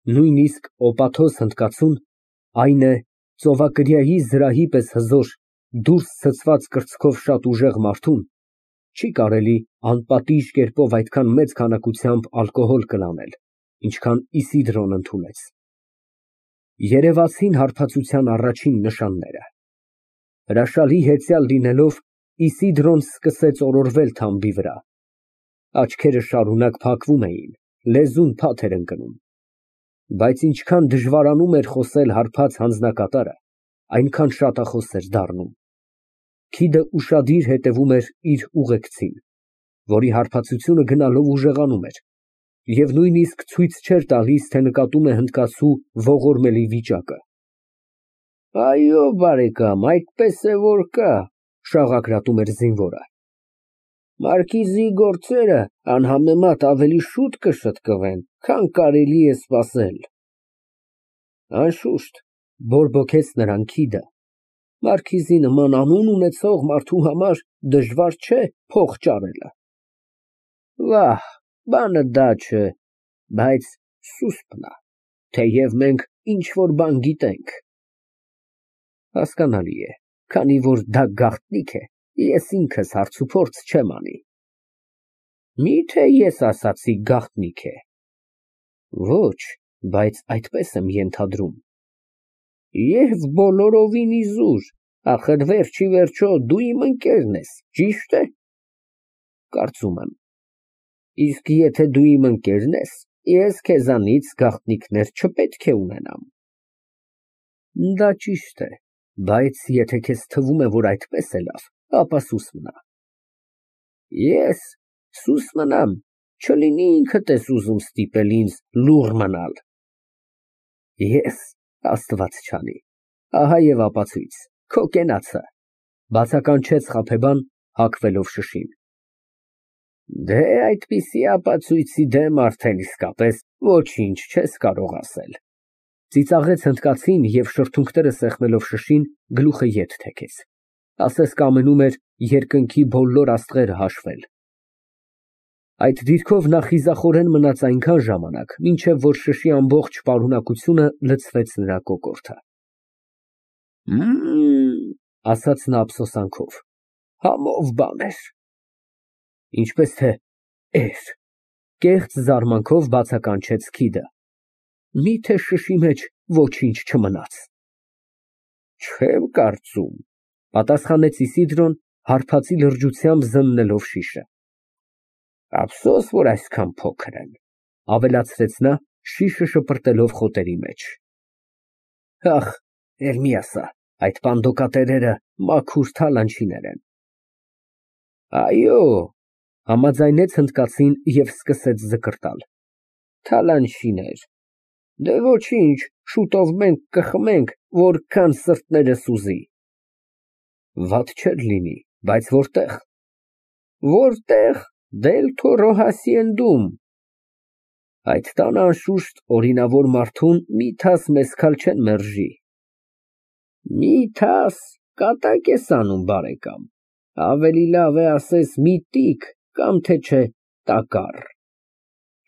Նույնիսկ օպաթոզ հնդկացուն, այն է ծովակրիայի զրահի պես հզոր, դուրս ցցված կրծքով շատ ուժեղ մարդուն, չի կարելի անպատիժ կերպով այդքան մեծ քանակությամբ ալկոհոլ կլանել, ինչքան Իսիդրոն ընդունեց։ Երևացին հարբեցության առաջին նշանները։ Հրաշալի հեծյալ լինելով, Իսիդրոն սկսեց օրորվել թամբի վրա, աչքերը շարունակ փակվում էին, լեզուն փաթ էր ընկնում, բայց ինչքան դժվարանում էր խոսել հարբած հանձնակատարը, այնքան շատախոս էր դառնում։ Քիդը ուշադիր հետևում էր իր ուղեկցին, որի հարբեցությունը գնալով ուժեղանում էր, և նույնիսկ ցույց չէր տալիս, թե նկատում է հնդկացու ողորմելի վիճակը։ Այո, բարեկամ, այդպես է որ կա, շաղակրատում էր զինվորը։ Մարկիզի գործերը անհամեմատ ավելի շուտ կշտկվեն, քան կարելի է սպասել։ Անշուշտ, բորբոքեց նրան Քիդը, մարքիզի նման անուն ունեցող մարդու համար դժվար չէ փող ճարելը։ Վահ, բանը դա չէ, բայց սուսպն է, թեև մենք ինչ-որ բան գիտենք։ Հասկանալի է, քանի որ դա գաղտնիք է, ես ինքս հարցուփորձ չեմ անի։ Միթե ես ասացի գաղտնիք է։ Ոչ, բայց այդպես եմ ենթադրում։ Եվ բոլորովին իզուր, ախր վերջի վերջո դու իմ ընկերն ես, ճիշտ է։ Կարծում եմ։ Իսկ եթե դու իմ ընկերն ես, ես քեզանից գաղտնիքներ չպետք է ունենամ։ Դա ճիշտ է, բայց եթե քեզ թվում է, որ այդպես է լավ, ապա սուս մնա։ Ես սուս մնամ, չլինի ինքդ ես ուզում ստիպել ինձ լուռ մնալ։ Ես, Աստված չանի, ահա և ապացույց, քո կենացը, բացականչեց Խաբեբան, հագվելով շշին։ Դե այդպիսի ապացույցի դեմ արդեն իսկապես ոչինչ չես կարող ասել։ Ծիծաղեց հնդկացին և շրթունքները սեղմելով շշին, գլուխը ետ թեքեց, ասես կամենում էր երկնքի բոլոր աստղերը հաշվել։ Այդ դիրքով նա խիզախորեն մնաց այնքան ժամանակ, մինչև որ շշի ամբողջ պարունակությունը լցվեց նրա կոկորդը։ Ասաց նա ափսոսանքով, համով բան էր։ Ինչպես թե էր, կեղծ զարմանքով բացականչեց Քիդը։ Միթե շշի մեջ ոչինչ չմնաց։ Չեմ կարծում, պատասխանեց Իսիդրոն, հարբածի լրջությամբ զննելով շիշը։ Ափսոս, որ այսքան փոքր են, ավելացրեց նա, շիշը շպրտելով խոտերի մեջ։ Ախ, Էրմիասա, այդ պանդոկատերերը մաքուր թալանչիներ են։ Այո, համաձայնեց հնդկացին և սկսեց զկրտալ։ Թալանչիներ։ Դե ոչինչ, շուտով մենք կխմենք, որքան սրտներս ուզի։ Վատ չէր լինի, բայց որտե՞ղ։ Որտե՞ղ, Դել Թորո հասիենդում։ Այդ տանը անշուշտ օրինավոր մարդուն մի թաս մեսքալ չեն մերժի։ Մի թաս կատակ ես անում, բարեկամ, ավելի լավ է ասես միտիկ կամ թե չէ տակառ։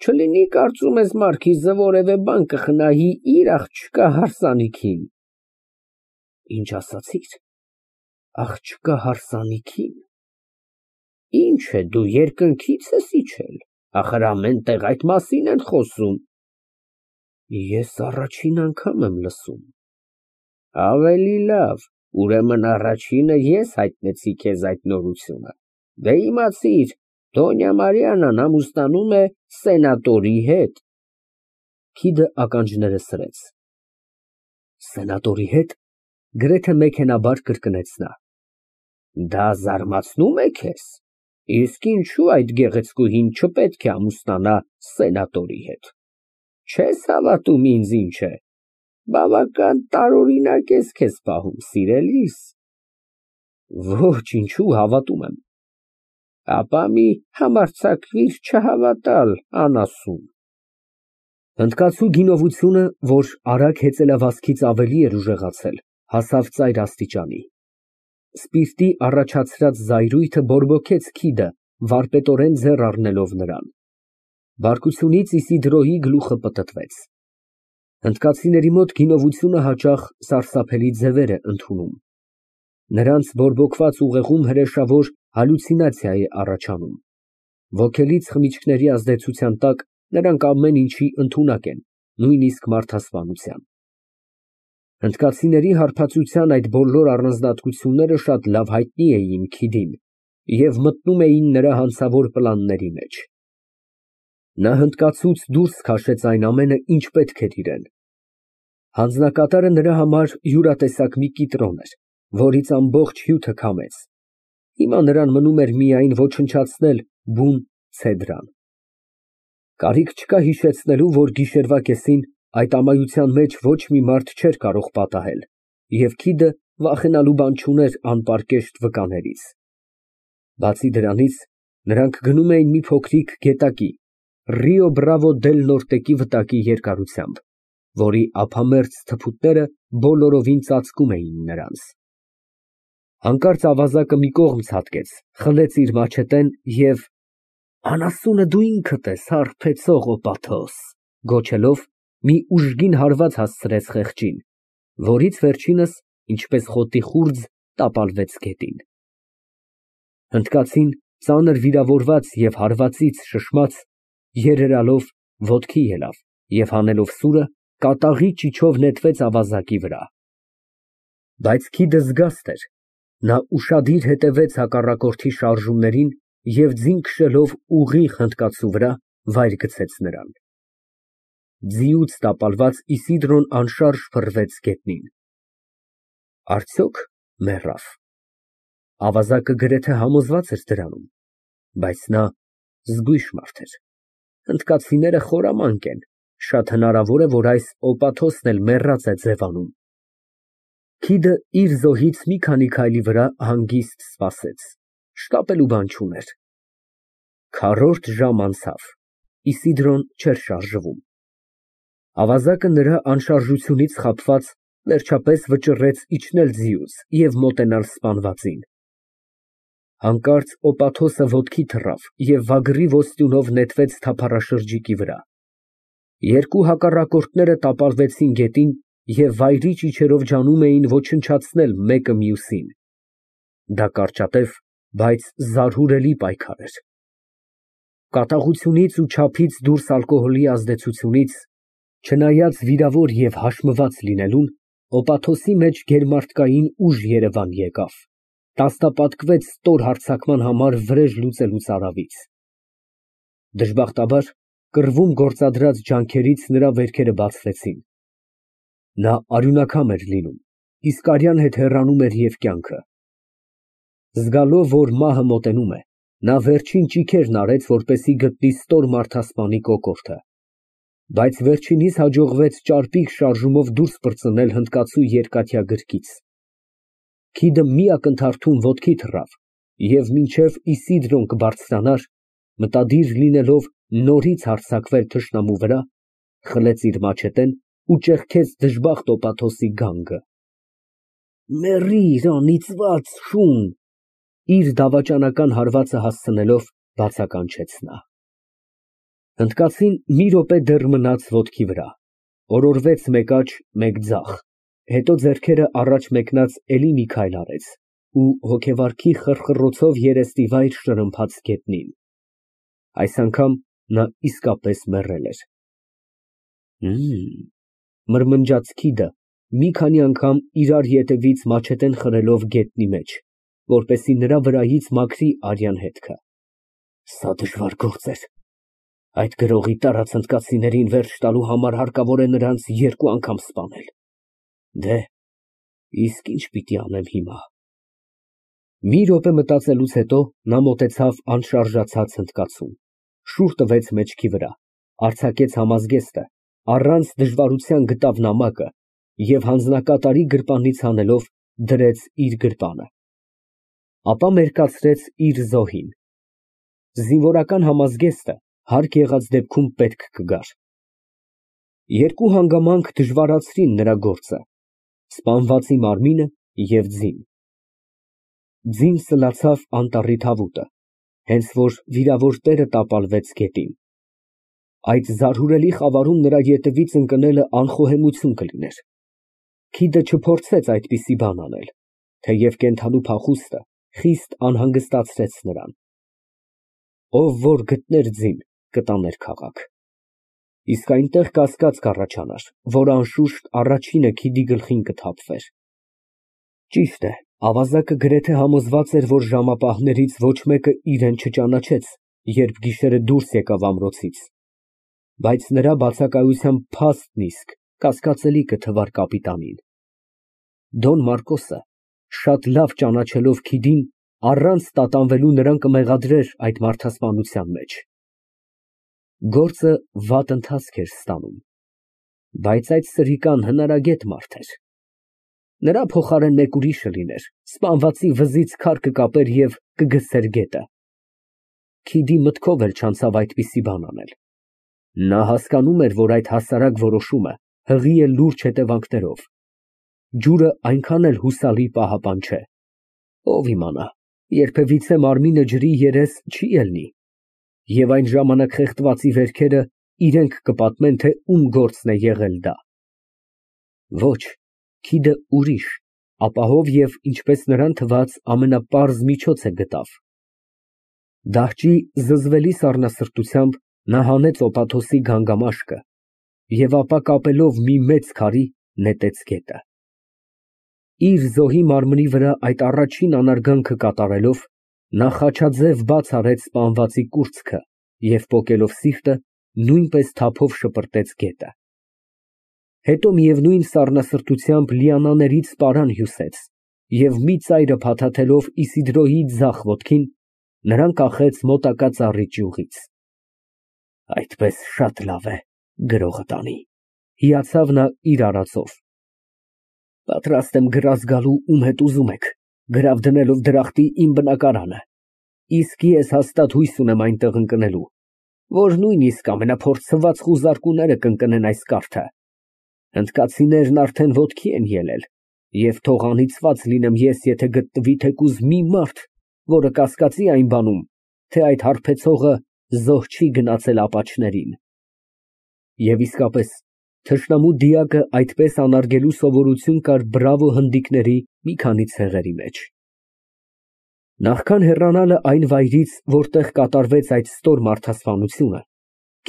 Չլինի կարծում ես մարքիզը որևէ բան կխնայի իր աղջկա հարսանիքին։ Ինչ ասացիր, աղջկա հարսանիքին։ Ինչ է, դու երկնքից ես իջել, ախր ամեն տեղ այդ մասին են խոսում։ Ես առաջին անգամ եմ լսում։ Ավելի լավ, ուրեմն առաջինը ես հայտնեցի քեզ այդ նորությունը։ Դե իմացիր, Դոնյա Մարիանան ամուսնանում է սենատորի հետ։ Քիդը ականջները սրեց։ Սենատորի հետ, գրեթե մեքենաբար կրկնեց նա։ Դա զարմացնում է քեզ։ Իսկ ինչու այդ գեղեցկուհին չպետք է ամուսնանա սենատորի հետ։ Չես հավատում ինձ ինչ է։ Բավական տարօրինակ ես քեզ պահում, սիրելիս։ Ոչ, ինչու հավատում եմ։ Ապա մի համարձակվիր չհավատալ, անասուն։ Հնդկացու գինովությունը, որ արագ հեծելավազքից ավելի էր ուժեղացել, հասավ ծայր աստիճանի։ Սպիրտի առաջացրած զայրույթը բորբոքեց Քիդը, վարպետորեն ձեռ առնելով նրան։ Բարկությունից Իսիդրոյի գլուխը պտտվեց։ Հնդկացիների մոտ գինովությունը հաճախ սարսափելի ձևեր է ընդունում։ Նրանց բորբոքված ուղեղում հրեշավոր հալյուցինացիա է առաջանում։ Ոգելից խմիչքների ազդեցության տակ նրանք ամեն ինչի ընդունակ են, նույնիսկ մարդասպանության։ Հնդկացիների հարբածության այդ բոլոր առանձնահատկությունները շատ լավ հայտնի էին Քիդին և մտնում էին նրա հանցավոր պլանների մեջ։ Նա հնդկացուց դուրս քաշեց այն ամենը, ինչ պետք էր իրեն։ Հանձնակատարը նրա համար յուրատեսակ մի կիտրոն էր, որից ամբողջ հյութը քամեց։ Հիմա նրան մնում էր միայն ոչնչացնել բուն ցեդրան։ Կարիք չկա հիշեցնելու, որ գիշերվա կեսին այդ ամայության մեջ ոչ մի մարդ չէր կարող պատահել, և Քիդը վախենալու բան չուներ անպարկեշտ վկաներից։ Բացի դրանից, նրանք գնում էին մի փոքրիկ գետակի, Ռիո Բրավո դել Նորտեկի վտակի երկարությամբ, որի ափամերձ թփուտները բոլորովին ծածկում էին նրանց։ Հանկարծ ավազակը մի կողմ ցատկեց, խլեց իր մաչետեն և «Անասունը դու ինքդ ես, հարբեցող օպաթոս», գոչելով մի ուժգին հարված հասցրեց խեղճին, որից վերջինս, ինչպես խոտի խուրձ, տապալվեց գետին։ Հնդկացին, ծանր վիրավորված և հարվածից շշմած, երերալով ոտքի ելավ և հանելով սուրը, կատաղի ճիչով նետվեց ավազակի վրա։ Բայց Քիդը զգաստ էր, նա ուշադիր հետևեց հակառակորդի շարժումներին և ձին քշելով ուղիղ հնդկացու վրա, վայր գցեց նրան։ Ձիուց տապալված Իսիդրոն անշարժ փռվեց գետնին։ Արդյոք մեռավ։ Ավազակը գրեթե համոզված էր դրանում, բայց նա զգույշ մարդ էր։ Հնդկացիները խորամանկ են, շատ հնարավոր է, որ այս օպաթոսն էլ մեռած է ձևանում։ Քիդը իր զոհից մի քանի քայլի վրա հանգիստ սպասեց, շտապելու բան չուներ։ Քառորդ ժամ անցավ, Իսիդրոն չէր շարժվում։ Ավազակը նրա անշարժությունից խաբված, վերջապես վճռեց իջնել ձիուց և մոտենալ սպանվածին։ Հանկարծ օպաթոսը ոտքի թռավ և վագրի ոսტյունով նետվեց թափառաշրջիկի վրա։ Երկու հակառակորդները տապալվեցին գետին և վայրի ճիչերով ջանում էին ոչնչացնել մեկը մյուսին։ Դա կարճատև, բայց զարհուրելի պայքար էր։ Կատաղությունից ու չափից դուրս ալկոհոլի ազդեցությունից, չնայած վիրավոր և հաշմված լինելուն, օպաթոսի մեջ գերմարդկային ուժ երևան եկավ, տասնապատկվեց ստոր հարձակման համար վրեժ լուծելուց արավից։ Դժբախտաբար, կռվում գործադրած ջանքերից նրա վերքերը բացվեցին։ Նա արյունակամ էր լինում, իսկ արյան հետ հեռանում էր և կյանքը։ Զգալով, որ մահը մոտենում է, նա վերջին ճիգերն արեց, որպեսզի գտնի ստոր մարդասպանի կոկորդը, բայց վերջինիս հաջողվեց ճարպիկ շարժումով դուրս պրծնել հնդկացու երկաթյա գրկից։ Քիդը մի ակնթարթում ոտքի թռավ և մինչև Իսիդրոն կբարձրանար, մտադիր լինելով նորից հարձակվել թշնամու վրա, խլեց իր մաչետեն ու ճեղքեց դժբախտ օպաթոսի գանգը։ «Մեռիր, անիծված շուն», իր դավաճանական հարվածը հասցնելով բացականչեց նա։ Հնդկացին մի րոպե դեռ մնաց ոտքի վրա, օրորվեց մեկ աջ, մեկ ձախ, հետո ձեռքերը առաջ մեկնած էլի մի քայլ արեց ու հոգեվարքի խռխռոցով երեսնիվայր շրմփաց գետնին։ Այս անգամ նա իսկապես մեռել էր։ Մրմնջաց Քիդը, մի քանի անգամ իրար ետևից մաչետեն խրելով գետնի մեջ, որպեսզի նրա վրայից մաքրի արյան հետքը։ Սա դժվար գործ էր։ Այդ գրողի տարած հնդկացիներին վերջ տալու համար հարկավոր է նրանց երկու անգամ սպանել։ Դե, իսկ ինչ պիտի անեմ հիմա։ Մի րոպե մտածելուց հետո նա մոտեցավ անշարժացած հնդկացուն, շուռ տվեց մեջքի վրա, արձակեց համազգեստը, առանց դժվարության գտավ նամակը և հանձնակատարի գրպանից հանելով դրեց իր գրպանը։ Ապա մերկացրեց իր զոհին։ Զինվորական համազգեստը հարկ եղած դեպքում պետք կգար։ Երկու հանգամանք դժվարացրին նրա գործը՝ սպանվածի մարմինը և ձին։ Ձին սլացավ անտառի թավուտը, հենց որ վիրավոր տերը տապալվեց գետին։ Այդ զարհուրելի խավարում նրա ետևից ընկնելը անխոհեմություն կլիներ։ Քիդը չփորձեց այդպիսի բան անել, թեև կենդանու փախուստը խիստ անհանգստացրեց նրան։ Ով որ գտներ ձին, կտաներ քաղաք։ Իսկ այնտեղ կասկած կառաջանար, որ անշուշտ առաջինը Քիդի գլխին կթափվեր։ Ճիշտ է, ավազակը գրեթե համոզված էր, որ ժամապահներից ոչ մեկը իրեն չճանաչեց, երբ գիշերը դուրս եկավ ամրոցից, բայց նրա բացակայության փաստն իսկ կասկածելի կթվար կապիտանին։ Դոն Մարկոսը, շատ լավ ճանաչելով Քիդին, առանց տատանվելու նրան կմեղադրեր այդ մարդասպանության մեջ։ Գործը վատ ընթացք էր ստանում, բայց այդ սրիկան հնարագետ մարդ էր։ Նրա փոխարեն մեկ ուրիշը լիներ, սպանվածի վզից քար կկապեր և կգցեր գետը։ Քիդի մտքով էլ չանցավ այդպիսի բան անել։ Նա հասկանում էր, որ այդ հասարակ որոշումը հղի է լուրջ հետևանքներով։ Ջուրը այնքան էլ հուսալի պահապան չէ։ Ով իմանա, երբևիցե մարմինը ջրի երես չի ելնի, և այն ժամանակ խեղդվածի վերքերը իրենք կպատմեն, թե ում գործն է եղել դա։ Ոչ, Քիդը ուրիշ, ապահով և, ինչպես նրան թվաց, ամենապարզ միջոցը գտավ։ Դահճի զզվելի սառնասրտությամբ նա հանեց օպաթոսի գանգամաշկը և ապա կապելով մի մեծ քարի, նետեց գետը։ Իր զոհի մարմնի վրա այդ առաջին անարգանքը կատարելով, նա խաչաձև բաց արեց սպանվածի կուրծքը և պոկելով սիրտը, նույնպես թափով շպրտեց գետը։ Հետո միևնույն սառնասրտությամբ լիանաներից պարան հյուսեց և մի ծայրը փաթաթելով Իսիդրոյի ձախ ոտքին, նրան կախեց մոտակա ծառի ճյուղից։ Այդպես շատ լավ է, գրողը տանի, հիացավ նա իր արածով։ Պատրաստ եմ գրազ գալու ում հետ ուզում եք, գրավ դնելով դրախտի իմ բնակարանը, իսկ ես հաստատ հույս ունեմ այնտեղ ընկնելու, որ նույնիսկ ամենափորձված խուզարկուները կընկնեն այս կարթը։ Հնդկացիներն արդեն ոտքի են ելել, և թող անիծված լինեմ ես, եթե գտնվի թեկուզ մի մարդ, որը կասկածի այն բանում, թե այդ հարբեցողը զոհ չի գնացել ապաչներին։ Եվ իսկապես, թշնամու դիակը այդպես անարգելու սովորություն կար բրավո հնդիկների մի քանի ցեղերի մեջ։ Նախքան հեռանալը այն վայրից, որտեղ կատարվեց այդ ստոր մարդասպանությունը,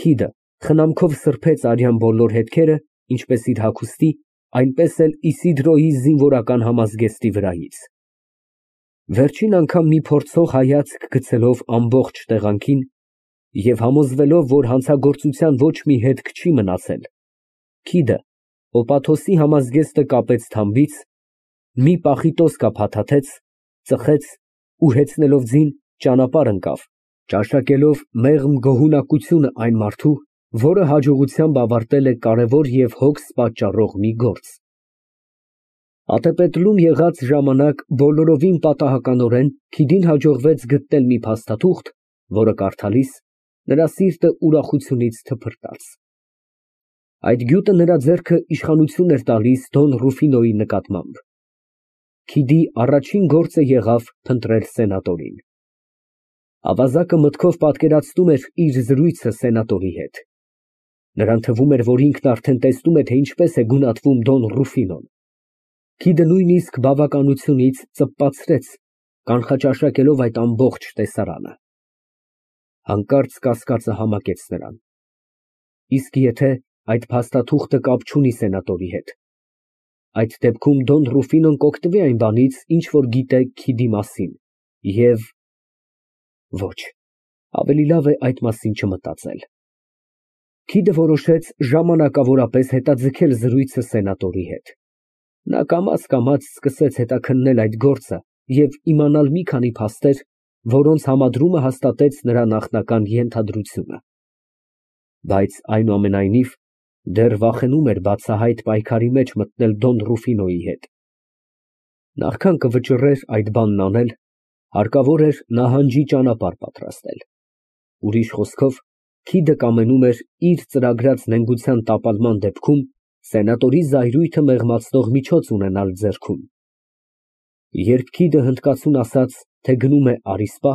Քիդը խնամքով սրբեց արյան բոլոր հետքերը, ինչպես իր հագուստի, այնպես էլ Իսիդրոյի զինվորական համազգեստի վրայից։ Վերջին անգամ մի փորձող հայացք գցելով ամբողջ տեղանքին և համոզվելով, որ հանցագործության ոչ մի հետք չի մնացել, Քիդը օպաթոսի համազգեստը կապեց թամբից, մի պախիտոսկա փաթաթեց, ծխեց ու հեծնելով ձին ճանապարհ ընկավ, ճաշակելով մեղմ գոհունակությունը այն մարդու, որը հաջողությամբ ավարտել է կարևոր և հոգս պատճառող մի գործ։ Ատեպետլում եղած ժամանակ բոլորովին պատահականորեն Քիդին հաջողվեց գտնել մի փաստաթուղթ, որը կարդալիս նրա սիրտը ուրախությունից թփրտաց։ Այդ գյուտը նրա ձեռքը իշխանություն էր տալիս Դոն Ռուֆինոյի նկատմամբ։ Քիդի առաջին գործը եղավ փնտրել սենատորին։ Ավազակը մտքով պատկերացնում էր իր զրույցը սենատորի հետ։ Նրան թվում էր, որ ինքն արդեն տեսնում է, թե ինչպես է գունատվում Դոն Ռուֆինոն։ Քիդը նույնիսկ բավականությունից ծպպացրեց, կանխաճաշակելով այդ ամբողջ տեսարանը։ Հանկարծ կասկածը համակեց նրան։ Իսկ եթե այդ փաստաթուղթը կապ չունի սենատորի հետ, այդ դեպքում Դոն Ռուֆինոն կօգտվի այն բանից, ինչ որ գիտե Քիդի մասին, և… Ոչ, ավելի լավ է այդ մասին չմտածել։ Քիդը որոշեց ժամանակավորապես հետաձգել զրույցը սենատորի հետ։ Նա կամաց սկսեց հետաքննել այդ գործը և իմանալ մի քանի փաստեր, որոնց համադրումը հաստատեց նրա նախնական ենթադրությունը։ Բայց այնուամենայնիվ դեռ վախենում էր բացահայտ պայքարի մեջ մտնել Դոն Ռուֆինոյի հետ։ Նախքան կվճռեր այդ բանն անել, հարկավոր էր նահանջի ճանապարհ պատրաստել։ Ուրիշ խոսքով, Քիդը կամենում էր իր ծրագրած նենգության տապալման դեպքում սենատորի զայրույթը մեղմացնող միջոց ունենալ ձեռքում։ Երբ Քիդը հնդկացուն ասաց, թե գնում է Արիսպա,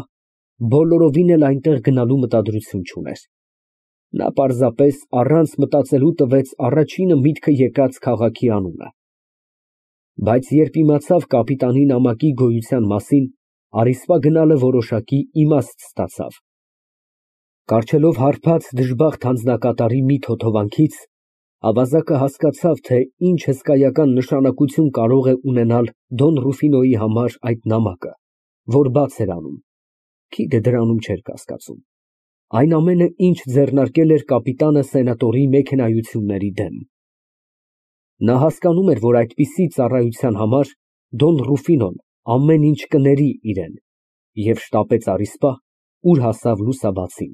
բոլորովին էլ այնտեղ գնալու մտադրություն չուներ։ Նա պարզապես առանց մտածելու տվեց առաջինը միտքը եկած քաղաքի անունը։ Բայց երբ իմացավ կապիտանի նամակի գոյության մասին, առիսպա գնալը որոշակի իմաստ ստացավ։ Կառչելով հարբած դժբախտ անձնակատարի մի թոթովանքից, ավազակը հասկացավ, թե ինչ հսկայական նշանակություն կարող է ունենալ Դոն Ռուֆինոյի համար այդ նամակը, որ բաց էր անում (քիդը դրանում չէր կասկածում) այն ամենը, ինչ ձեռնարկել էր կապիտանը սենատորի մեքենայությունների դեմ։ Նա հասկանում էր, որ այդպիսի ծառայության համար Դոն Ռուֆինոն ամեն ինչ կների իրեն, և շտապեց առիսպա, ուր հասավ լուսաբացին։